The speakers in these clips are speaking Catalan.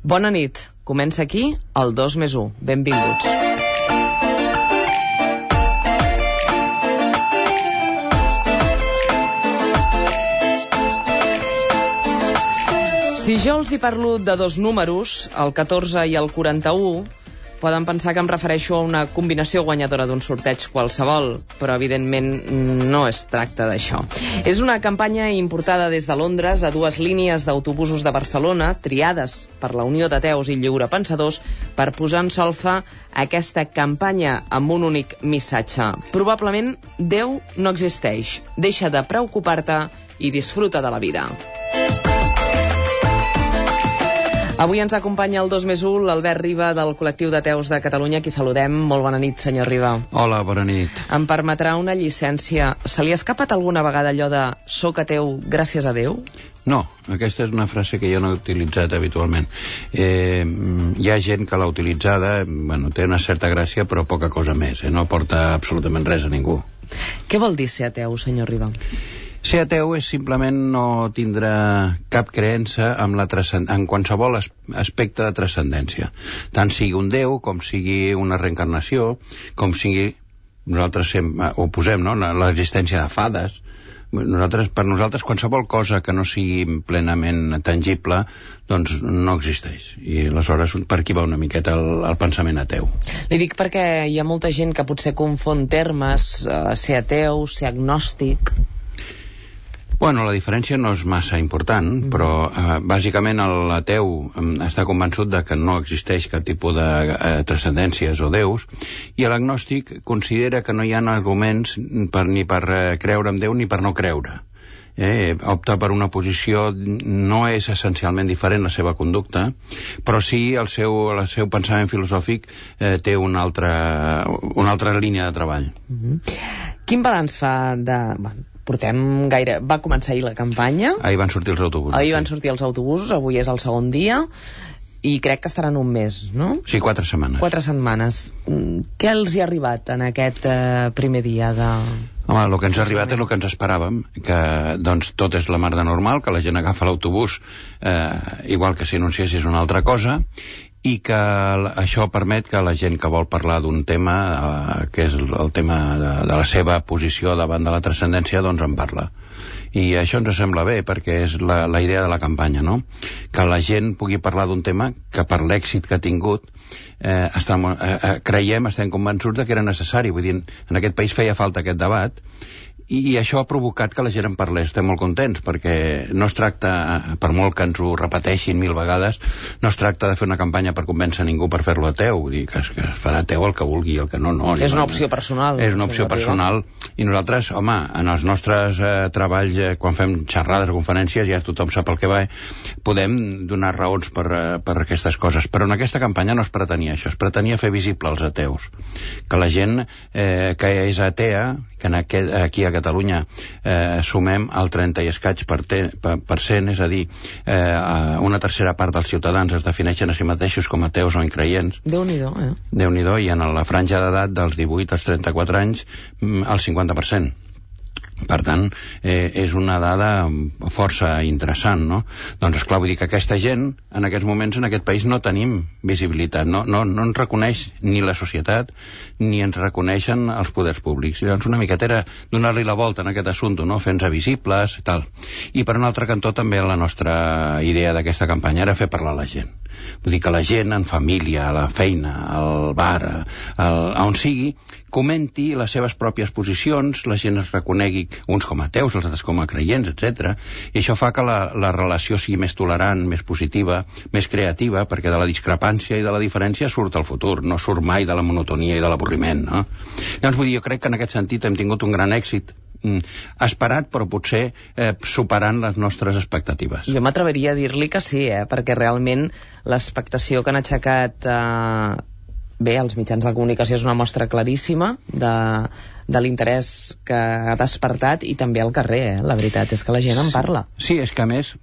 Bona nit. Comença aquí el 2+1. Benvinguts. Si jo els hi parlo de dos números, el 14 i el 41, poden pensar que em refereixo a una combinació guanyadora d'un sorteig qualsevol, però evidentment no es tracta d'això. És una campanya importada des de Londres a dues línies d'autobusos de Barcelona, triades per la Unió d'Ateus i Lliurepensadors, per posar en solfa aquesta campanya amb un únic missatge. Probablement Déu no existeix. Deixa de preocupar-te i disfruta de la vida. Avui ens acompanya el 2+1, l'Albert Riba, del col·lectiu d'Ateus de Catalunya, qui saludem. Molt bona nit, senyor Riba. Hola, bona nit. Em permetrà una llicència. Se li ha escapat alguna vegada allò de «soc ateu gràcies a Déu»? No, aquesta és una frase que jo no he utilitzat habitualment. Hi ha gent que l'ha utilitzada, té una certa gràcia, però poca cosa més. No aporta absolutament res a ningú. Què vol dir ser ateu, senyor Riba? Ser ateu és simplement no tindre cap creença en qualsevol aspecte de transcendència. Tant sigui un Déu, com sigui una reencarnació, com sigui, nosaltres ho posem, no?, l'existència de fades. Per nosaltres qualsevol cosa que no sigui plenament tangible doncs no existeix, i aleshores per aquí va una miqueta el pensament ateu. Li dic perquè hi ha molta gent que potser confon termes, ser ateu, ser agnòstic. Bueno, la diferència no és massa important, però bàsicament l'ateu està convençut de que no existeix cap tipus de transcendències o déus, i l'agnòstic considera que no hi ha arguments ni per creure en Déu ni per no creure. Opta per una posició, no és essencialment diferent la seva conducta, però sí el seu pensament filosòfic té una altra línia de treball. Quin balanç fa de... Va començar ahir la campanya. Ahir van sortir els autobusos. Avui és el segon dia. I crec que estaran un mes, no? Sí, 4 setmanes. 4 setmanes. Què els hi ha arribat en aquest primer dia de... Home, el que ens ha arribat és el que ens esperàvem, que doncs tot és la mar de normal, que la gent agafa l'autobús igual que si anunciessis una altra cosa, i que això permet que la gent que vol parlar d'un tema, que és el tema de la seva posició davant de la transcendència, doncs en parla. I això ens sembla bé, perquè és la idea de la campanya, no? Que la gent pugui parlar d'un tema que per l'èxit que ha tingut estem convençuts que era necessari. Vull dir, en aquest país feia falta aquest debat, i això ha provocat que la gent en parlés. Estem molt contents, perquè no es tracta, per molt que ens ho repeteixin 1000 vegades, no es tracta de fer una campanya per convèncer ningú per fer-lo ateu. Vull dir que es farà ateu el que vulgui, el que no. És una opció personal. És una opció personal, i nosaltres, home, en els nostres treballs, quan fem xerrades o conferències, ja tothom sap el que va, podem donar raons per aquestes coses, però en aquesta campanya no es pretenia això, es pretenia fer visible els ateus, que la gent que és atea, que aquí a Catalunya sumem el 30 i escaig per cent, és a dir, una tercera part dels ciutadans es defineixen a si mateixos com ateus o increients. Déu-n'hi-do, Déu-n'hi-do, i en la franja d'edat dels 18 als 34 anys el 50%. Per tant, és una dada força interessant, no? Doncs, esclar, vull dir que aquesta gent, en aquests moments, en aquest país, no tenim visibilitat, no ens reconeix ni la societat, ni ens reconeixen els poders públics. I llavors una miqueta era donar-li la volta en aquest assumpte, no? Fer-nos visibles i tal. I per un altre cantó també la nostra idea d'aquesta campanya era fer parlar la gent. Vull dir que la gent en família, a la feina, al bar, on sigui, comenti les seves pròpies posicions, la gent es reconegui uns com a ateus, els altres com a creients, etc. I això fa que la relació sigui més tolerant, més positiva, més creativa, perquè de la discrepància i de la diferència surt el futur, no surt mai de la monotonia i de l'avorriment, no? Llavors, vull dir, jo crec que en aquest sentit hem tingut un gran èxit, esperat, però potser superant les nostres expectatives. Jo m'atreviria a dir-li que sí, perquè realment l'expectació que han aixecat els mitjans de comunicació és una mostra claríssima de l'interès que ha despertat, i també al carrer, la veritat és que la gent en parla. Sí, és que a més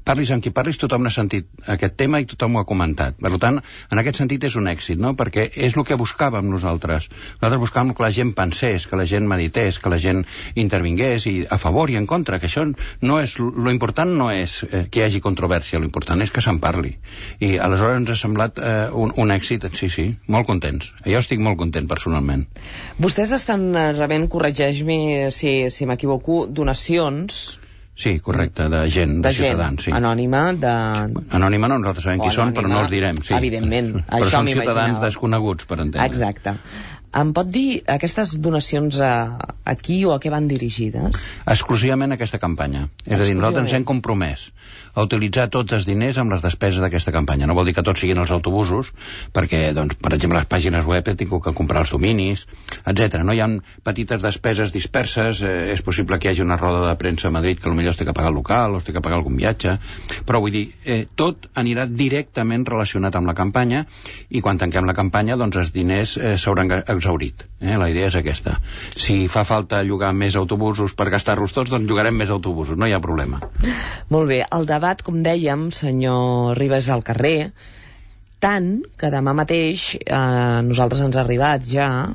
parlis amb qui parlis, tothom n'ha sentit aquest tema i tothom ho ha comentat. Per tant, en aquest sentit és un èxit, no? Perquè és el que buscàvem nosaltres. Nosaltres buscàvem que la gent pensés, que la gent medités, que la gent intervingués i a favor i en contra, que això no és... Lo important no és que hi hagi controvèrsia, lo important és que se'n parli. I aleshores ens ha semblat un èxit, sí, molt contents. Jo estic molt content personalment. Vostès estan rebent, corregeix-me si m'equivoco, donacions... Sí, correcte, de gent, de ciutadans. Sí. Anònima, Anònima no, nosaltres sabem qui són, però no els direm. Sí. Evidentment, però això són ciutadans desconeguts, per entendre. Exacte. Em pot dir aquestes donacions a qui o a què van dirigides? Exclusivament a aquesta campanya. És a dir, nosaltres ens hem compromès a utilitzar tots els diners amb les despeses d'aquesta campanya. No vol dir que tots siguin els autobusos, perquè, doncs, per exemple, les pàgines web he tingut que comprar els dominis, etc. No hi ha petites despeses disperses, és possible que hi hagi una roda de premsa a Madrid que potser es té que pagar el local, o es té que pagar algun viatge, però vull dir, tot anirà directament relacionat amb la campanya, i quan tanquem la campanya, doncs els diners s'hauran exhaurit. La idea és aquesta. Si fa falta llogar més autobusos per gastar-los tots, doncs llogarem més autobusos, no hi ha problema. Molt bé, el debat, com dèiem, senyor Ribas, al carrer, tant que demà mateix nosaltres ens ha arribat ja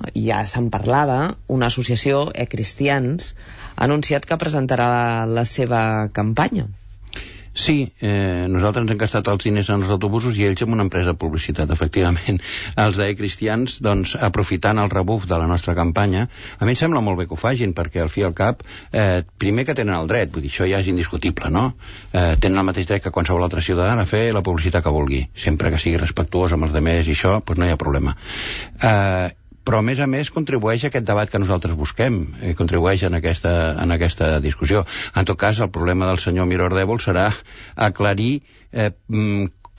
se'n parlava, una associació, Cristians, ha anunciat que presentarà la seva campanya. Sí, nosaltres ens hem gastat els diners en els autobusos i ells en una empresa de publicitat, efectivament. Els Cristians, doncs, aprofitant el rebuf de la nostra campanya, a mi em sembla molt bé que ho fagin, perquè al fi i al cap, primer que tenen el dret, vull dir, això ja és indiscutible, no? Tenen el mateix dret que qualsevol altre ciutadà a fer la publicitat que vulgui, sempre que sigui respectuós amb els demés i això, doncs no hi ha problema. Però a més contribueix a aquest debat que nosaltres busquem, contribueix en aquesta discussió. En tot cas, el problema del senyor Miró Ardèvol serà aclarir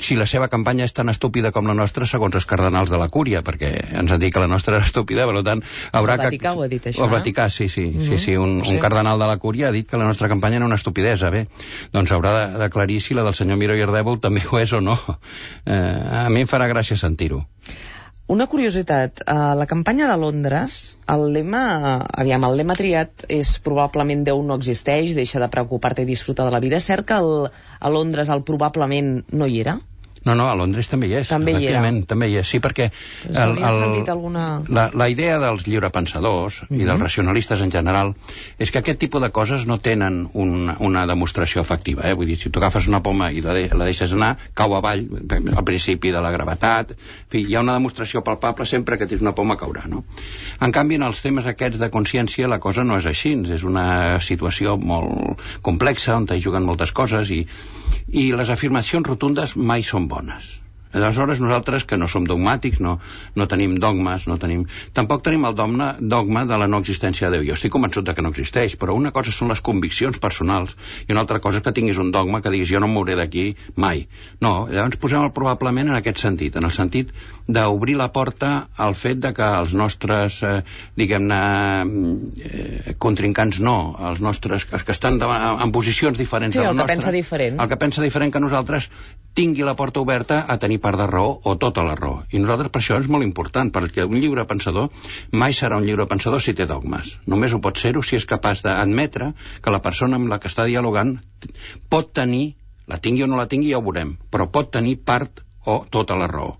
si la seva campanya és tan estúpida com la nostra segons els cardenals de la Cúria, perquè ens han dit que la nostra era estúpida, per tant haurà que... El Vaticà ho ha dit, això, El Vaticà, sí. Un cardenal de la Cúria ha dit que la nostra campanya era una estupidesa. Bé, doncs haurà d'aclarir si la del senyor Miró i Ardèvol també ho és o no. A mi em farà gràcia sentir-ho. Una curiositat, a la campanya de Londres, el lema triat és probablement Déu no existeix, deixa de preocupar-te i disfrutar de la vida. És cert que a Londres el probablement no hi era? No, a Londres també hi és. També hi és, sí, perquè la idea dels lliurepensadors i dels racionalistes en general és que aquest tipus de coses no tenen una demostració efectiva. Vull dir, si tu agafes una poma i la deixes anar, cau avall, al principi de la gravetat, en fi, hi ha una demostració palpable sempre que tens una poma caurà, no? En canvi, en els temes aquests de consciència la cosa no és així, és una situació molt complexa on hi juguen moltes coses i les afirmacions rotundes mai són bones. Aleshores, nosaltres, que no som dogmàtics, no tenim dogmes, tampoc tenim el dogma de la no existència de Déu. Jo estic convençut que no existeix, però una cosa són les conviccions personals i una altra cosa és que tinguis un dogma que diguis jo no em mouré d'aquí mai. No, llavors posem el probablement en aquest sentit, en el sentit d'obrir la porta al fet de que els nostres, contrincants els nostres, que estan en posicions diferents de la nostra... El que pensa diferent que nosaltres tingui la porta oberta a tenir part de raó o tota la raó. I nosaltres per això és molt important, perquè un lliurepensador mai serà un lliurepensador si té dogmes. Només ho pot ser-ho si és capaç d'admetre que la persona amb la que està dialogant pot tenir, la tingui o no la tingui ja ho veurem, però pot tenir part o tota la raó.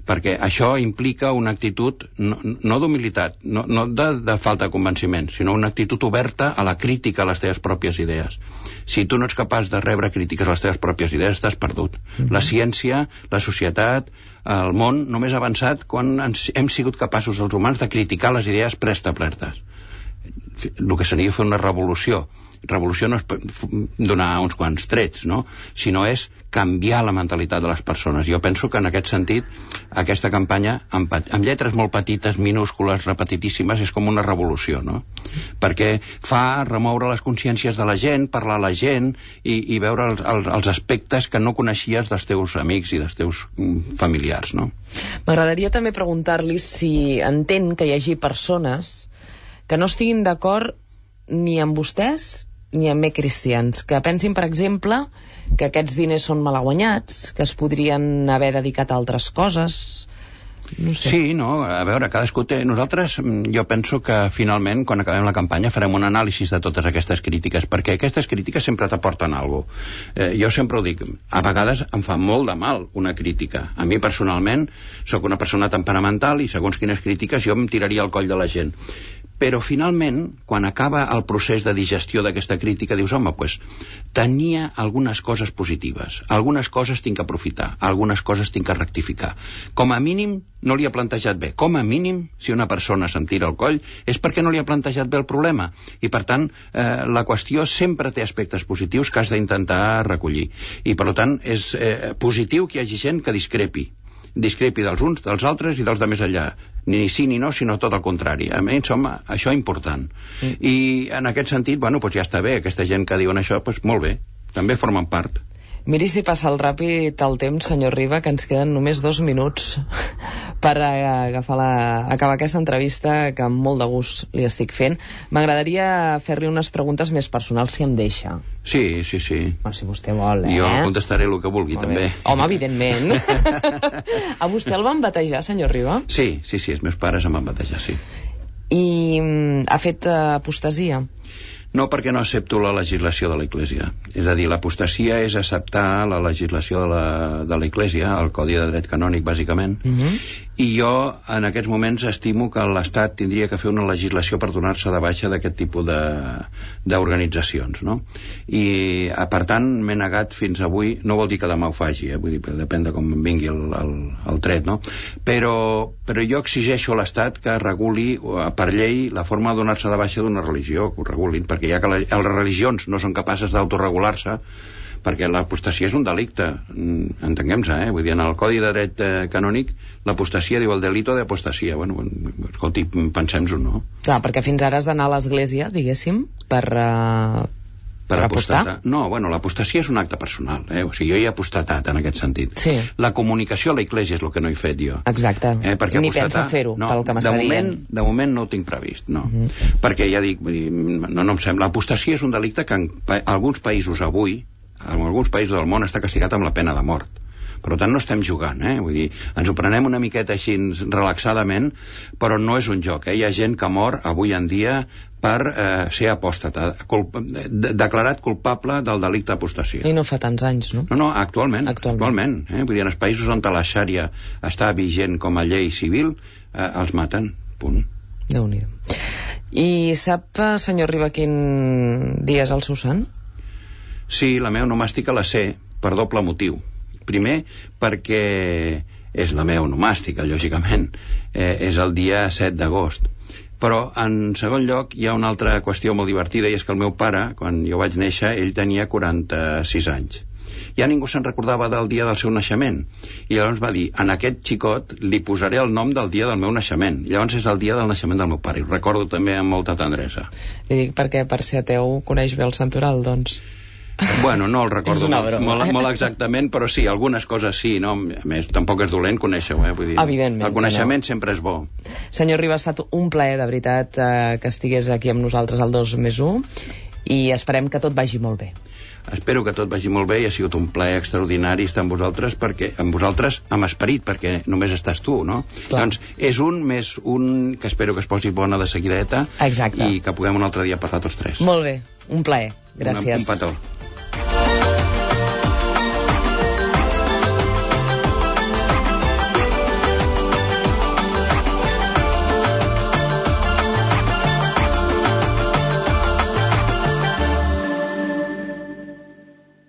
Perquè això implica una actitud no d'humilitat, no de falta de convenciment, sinó una actitud oberta a la crítica a les teves pròpies idees. Si tu no ets capaç de rebre crítiques a les teves pròpies idees, estàs perdut. La ciència, la societat, el món només ha avançat quan hem sigut capaços els humans de criticar les idees preestablertes. El que seria fer una revolució. Revolució no és donar uns quants trets, no? Sinó és canviar la mentalitat de les persones. Jo penso que en aquest sentit aquesta campanya, amb lletres molt petites, minúscules, repetitíssimes, és com una revolució, no? Perquè fa remoure les consciències de la gent, parlar a la gent i veure els aspectes que no coneixies dels teus amics i dels teus familiars, no? M'agradaria també preguntar-li si entén que hi hagi persones que no estiguin d'acord ni amb vostès ni amb Cristians, que pensin, per exemple, que aquests diners són malaguanyats, que es podrien haver dedicat a altres coses. No sé. Sí, no, a veure, cadascú té... Nosaltres, jo penso que finalment, quan acabem la campanya, farem un anàlisi de totes aquestes crítiques, perquè aquestes crítiques sempre t'aporten alguna cosa. Jo sempre ho dic, a vegades em fa molt de mal una crítica. A mi, personalment, sóc una persona temperamental i segons quines crítiques jo em tiraria al coll de la gent. Però finalment, quan acaba el procés de digestió d'aquesta crítica, dius, home, doncs, tenia algunes coses positives, algunes coses tinc que aprofitar, algunes coses tinc que rectificar. Com a mínim, no li ha plantejat bé. Com a mínim, si una persona se'm tira al coll, és perquè no li ha plantejat bé el problema. I, per tant, la qüestió sempre té aspectes positius que has d'intentar recollir. I, per tant, és positiu que hi hagi gent que discrepi dels uns, dels altres i dels de més enllà. Ni sí ni no, sinó tot el contrari. A mi, home, això és important. I en aquest sentit, bueno, doncs ja està bé. Aquesta gent que diuen això, doncs molt bé. També formen part. Miri si passa el ràpid el temps, senyor Riba, que ens queden només 2 minuts per acabar aquesta entrevista que amb molt de gust li estic fent. M'agradaria fer-li unes preguntes més personals, si em deixa. Sí. Bueno, si vostè vol, Jo contestaré el que vulgui, també. Home, evidentment. A vostè el van batejar, senyor Riba? Sí, els meus pares em van batejar, sí. I ha fet apostasia? No, perquè no accepto la legislació de l'Església. És a dir, l'apostasia és acceptar la legislació de l'Església, el Codi de Dret Canònic, bàsicament, i jo, en aquests moments, estimo que l'Estat tindria que fer una legislació per donar-se de baixa d'aquest tipus d'organitzacions, no? I, per tant, m'he negat fins avui, no vol dir que demà ho faci, vull dir, depèn de com vingui el tret, no? Però jo exigeixo a l'Estat que reguli per llei la forma de donar-se de baixa d'una religió, que ho regulin, perquè ja que les religions no són capaces d'autoregular-se, perquè l'apostasia és un delicte, entenguem-se, vull dir, en el Codi de Dret Canònic l'apostasia diu el delito d'apostasia. Bueno, escolti, pensem-ho, no? Clar, perquè fins ara has d'anar a l'església, diguéssim, per apostar? No, bueno, l'apostasia és un acte personal, o sigui, jo hi he apostatat en aquest sentit. Sí. La comunicació a l'Església és el que no he fet jo. Exacte, ni pensa fer-ho, pel que m'està dient. De moment no ho tinc previst, no. Perquè ja dic, no em sembla, l'apostasia és un delicte que en alguns països avui, en alguns països del món, està castigat amb la pena de mort. Per tant, no estem jugant, vull dir, ens ho prenem una miqueta així relaxadament, però no és un joc, Hi ha gent que mor avui en dia per ser apòstata, declarat culpable del delicte d'apostasia. I no fa tants anys, no? No, actualment. Vull dir, en els països on la xària està vigent com a llei civil, els maten, punt. Déu-n'hi-do. I sap, senyor Riba, quin dia és el seu sant? Sí, la meva onomàstica la sé, per doble motiu. Primer, perquè és la meva onomàstica, lògicament. És el dia 7 d'agost. Però, en segon lloc, hi ha una altra qüestió molt divertida, i és que el meu pare, quan jo vaig néixer, ell tenia 46 anys. Ja ningú se'n recordava del dia del seu naixement. I llavors va dir, en aquest xicot li posaré el nom del dia del meu naixement. I llavors és el dia del naixement del meu pare. I ho recordo també amb molta tendresa. Li dic perquè, per ser ateu, coneix bé el santoral, doncs. Bueno, no el recordo molt exactament, però sí, algunes coses sí, no? A més, tampoc és dolent conèixer-ho, vull dir, evidentment, el coneixement sempre és bo. Senyor Riba, ha estat un plaer, de veritat, que estigués aquí amb nosaltres al 2+1, i esperem que tot vagi molt bé. Espero que tot vagi molt bé, i ha sigut un plaer extraordinari estar amb vosaltres, perquè amb vosaltres amb esperit, perquè només estàs tu, no? Clar. Doncs és un més un que espero que es posi bona de seguideta. Exacte. I que puguem un altre dia parlar tots tres. Molt bé, un plaer. Gràcies. Un petó.